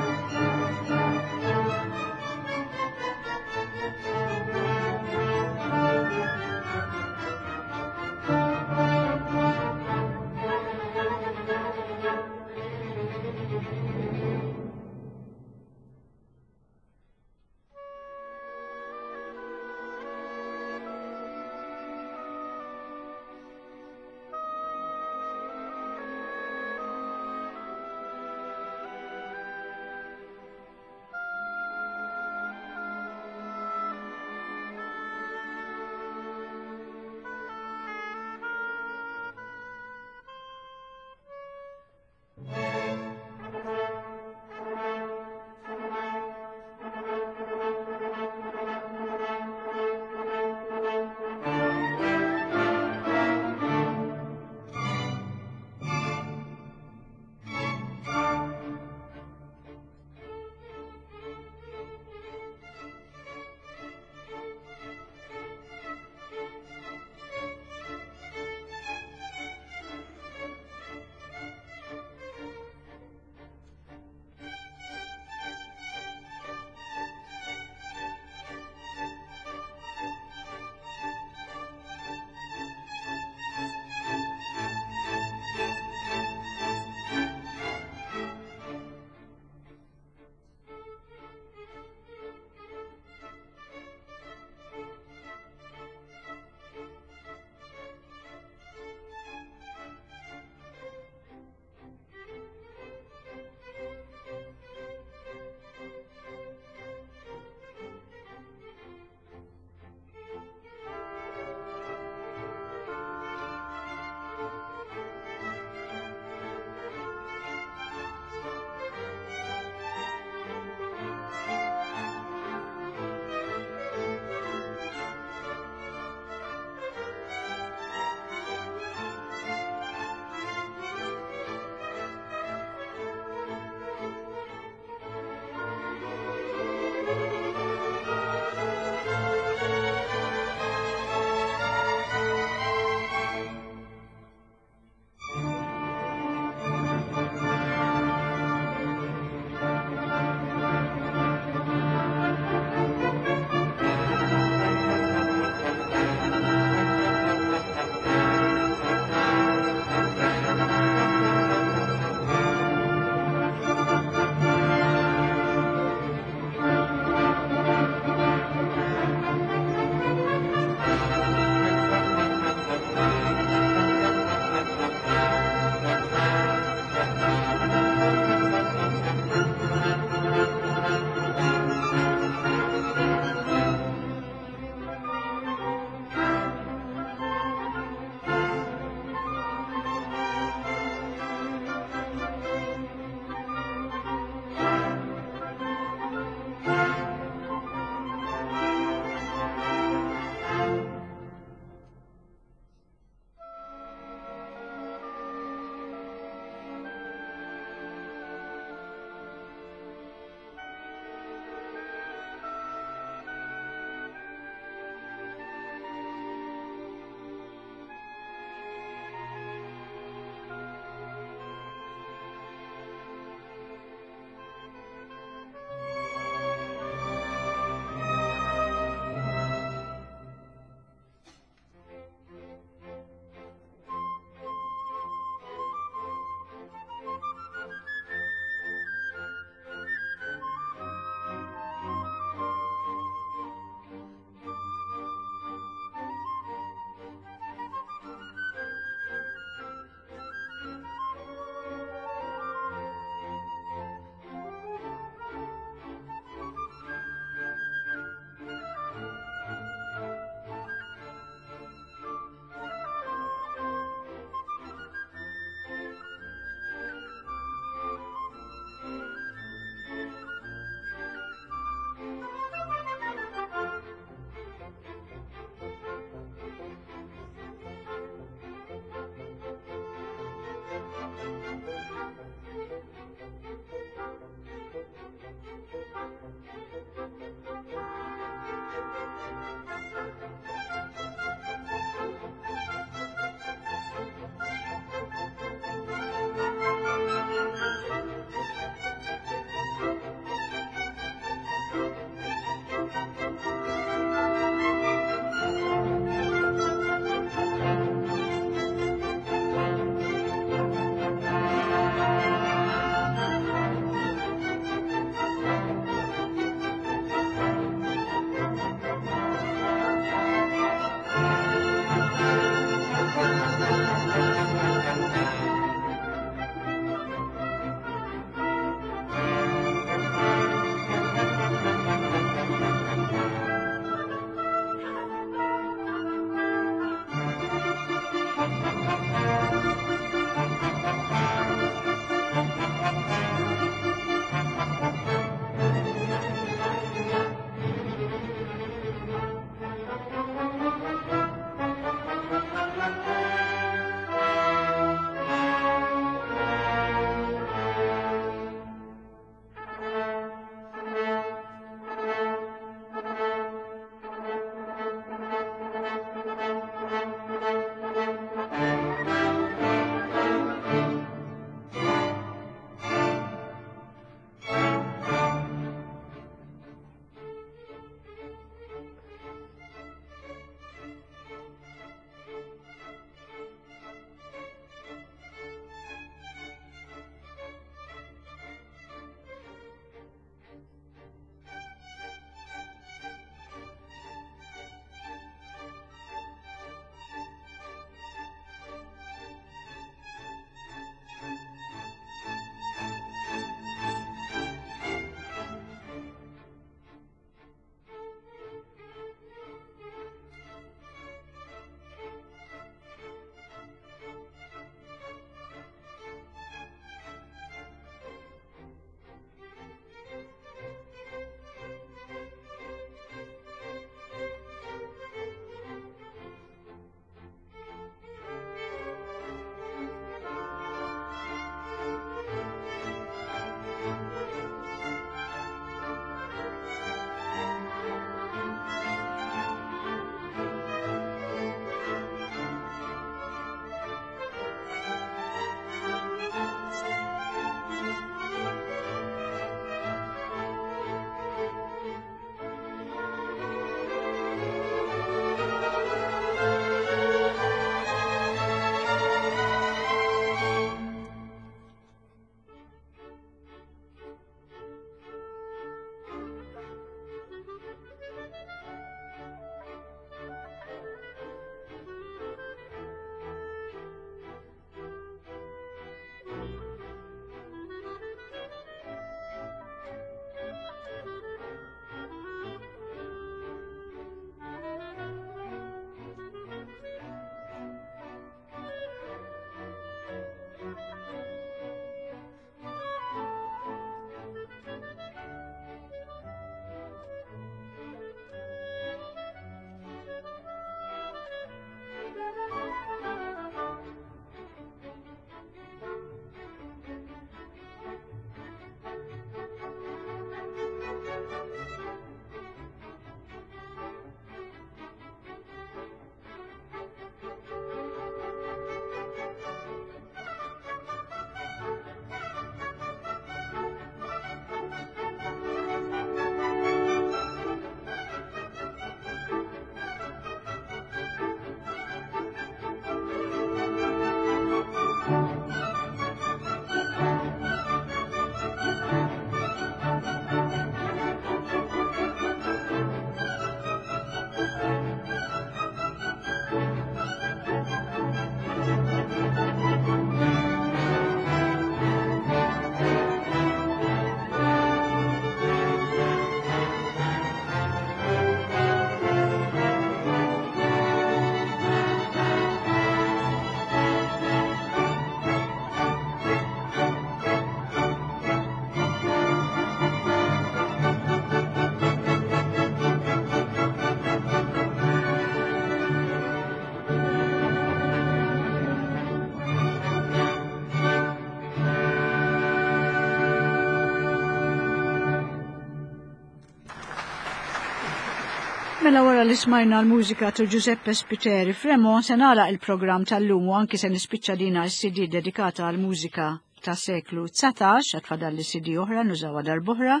Mela wara li smajna l-mużika ta' Giuseppe Spiteri Fremont se nagħlaq il-programm tal-lum u anki se nispiċċa dina s-CD dedikata għal mużika ta' seklu 19, għad fadal li CD oħra nużawha darb'oħra.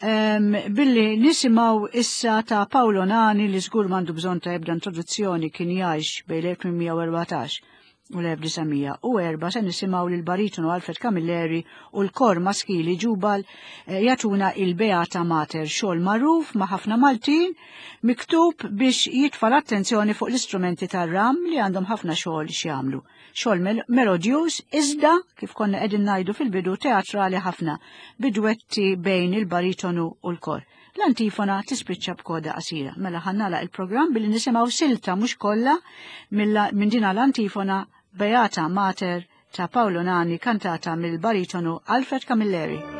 Um, billi nisimaw issa ta' Paolo Nani li żgur m'għandu bżonn ta' ebda introduzzjoni kien jgħix bejn l-1814 u l-1904 se nisimgħu lil baritonu Alfred Camilleri u l-kor maskili ġubal eh, jagħtuna il-Beata Mater xogħol magħruf ma' ħafna Maltin miktub biex jitfa' l-attenzjoni fuq l-istrumenti tar-ram li għandhom ħafna xogħol x'jagħmlu. Xogħol melodjuż iżda kif konna qegħdin ngħidu fil-bidu teatrali ħafna bidwetti bejn il-baritonu u l-kor. L-antifona tispiċċa b'koda qasira. Mela ħannala il-programm billi nisimgħu silta mhux kollha minn dina l-antifona Beata Mater ta' Paolo Nani kantata mill-baritonu Alfred Camilleri.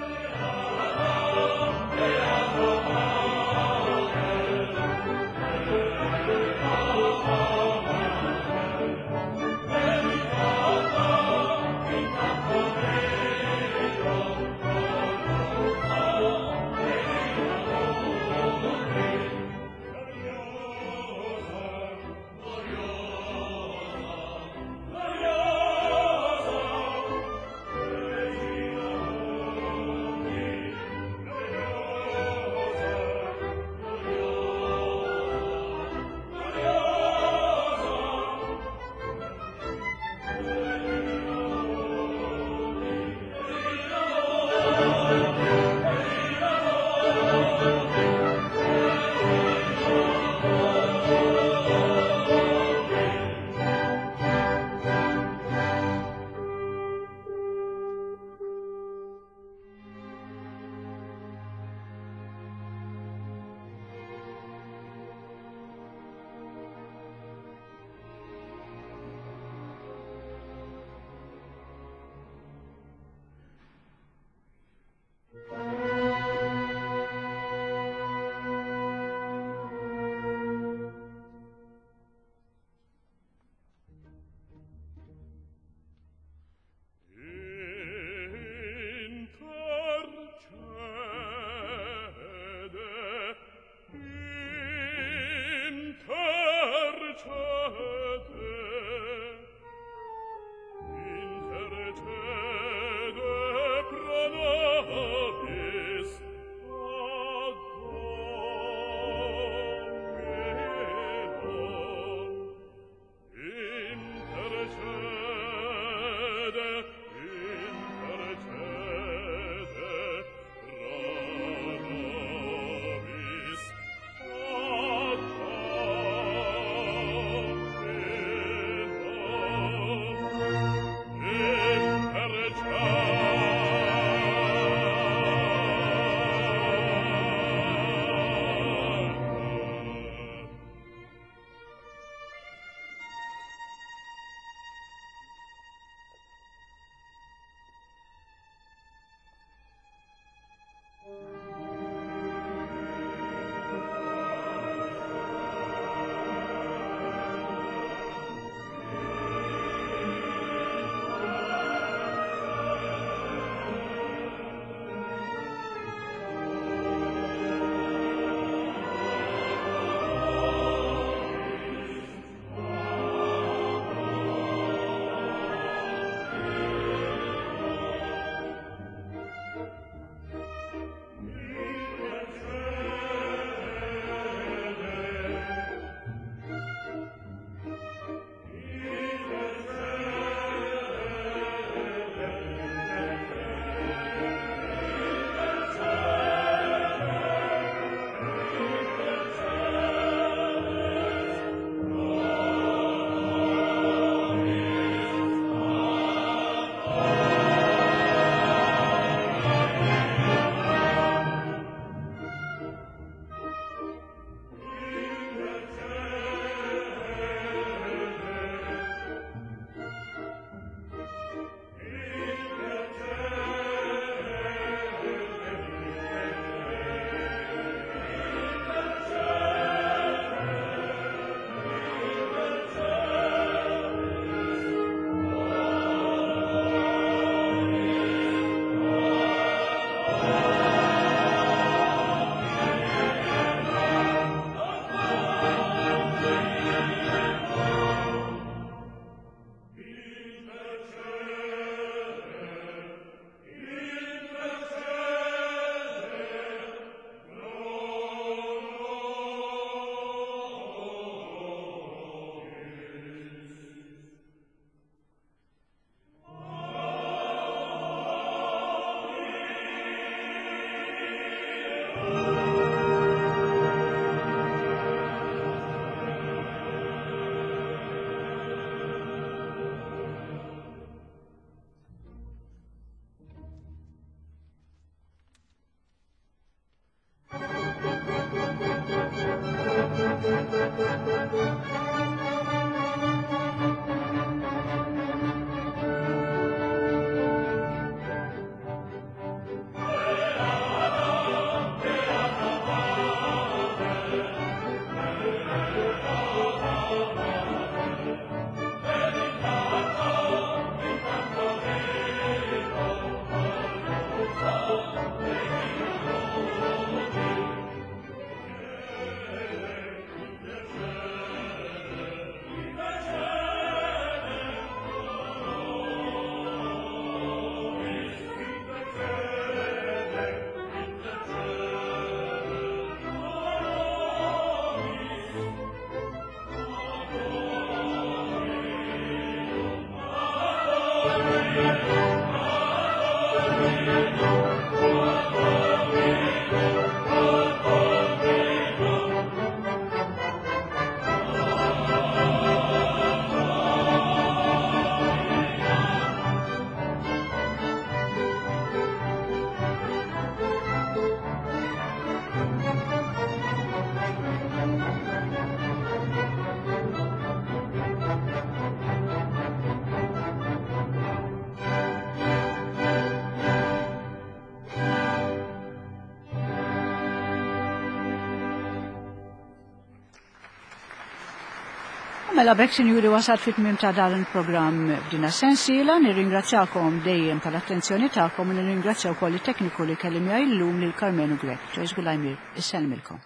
Mela bekk sinjuri wasal fit-tmiem ta' dan il-programm b'dina sensiela, nirringrazzjakom dejjem tal-attenzjoni tagħkom u nirringrazzja wkoll it-tekniku li kelli miegħi llum lil Karmenu Grech. Joyce Gulajmir, isselmilkom.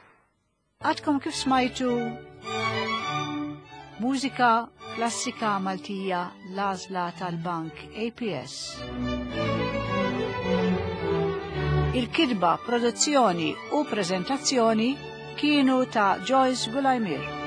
Għadkom kif smajtu mużika klassika Maltija l-għażla tal-Bank APS. Il-kitba, produzzjoni u prezentazzjoni kienu ta' Joyce Gulajmir.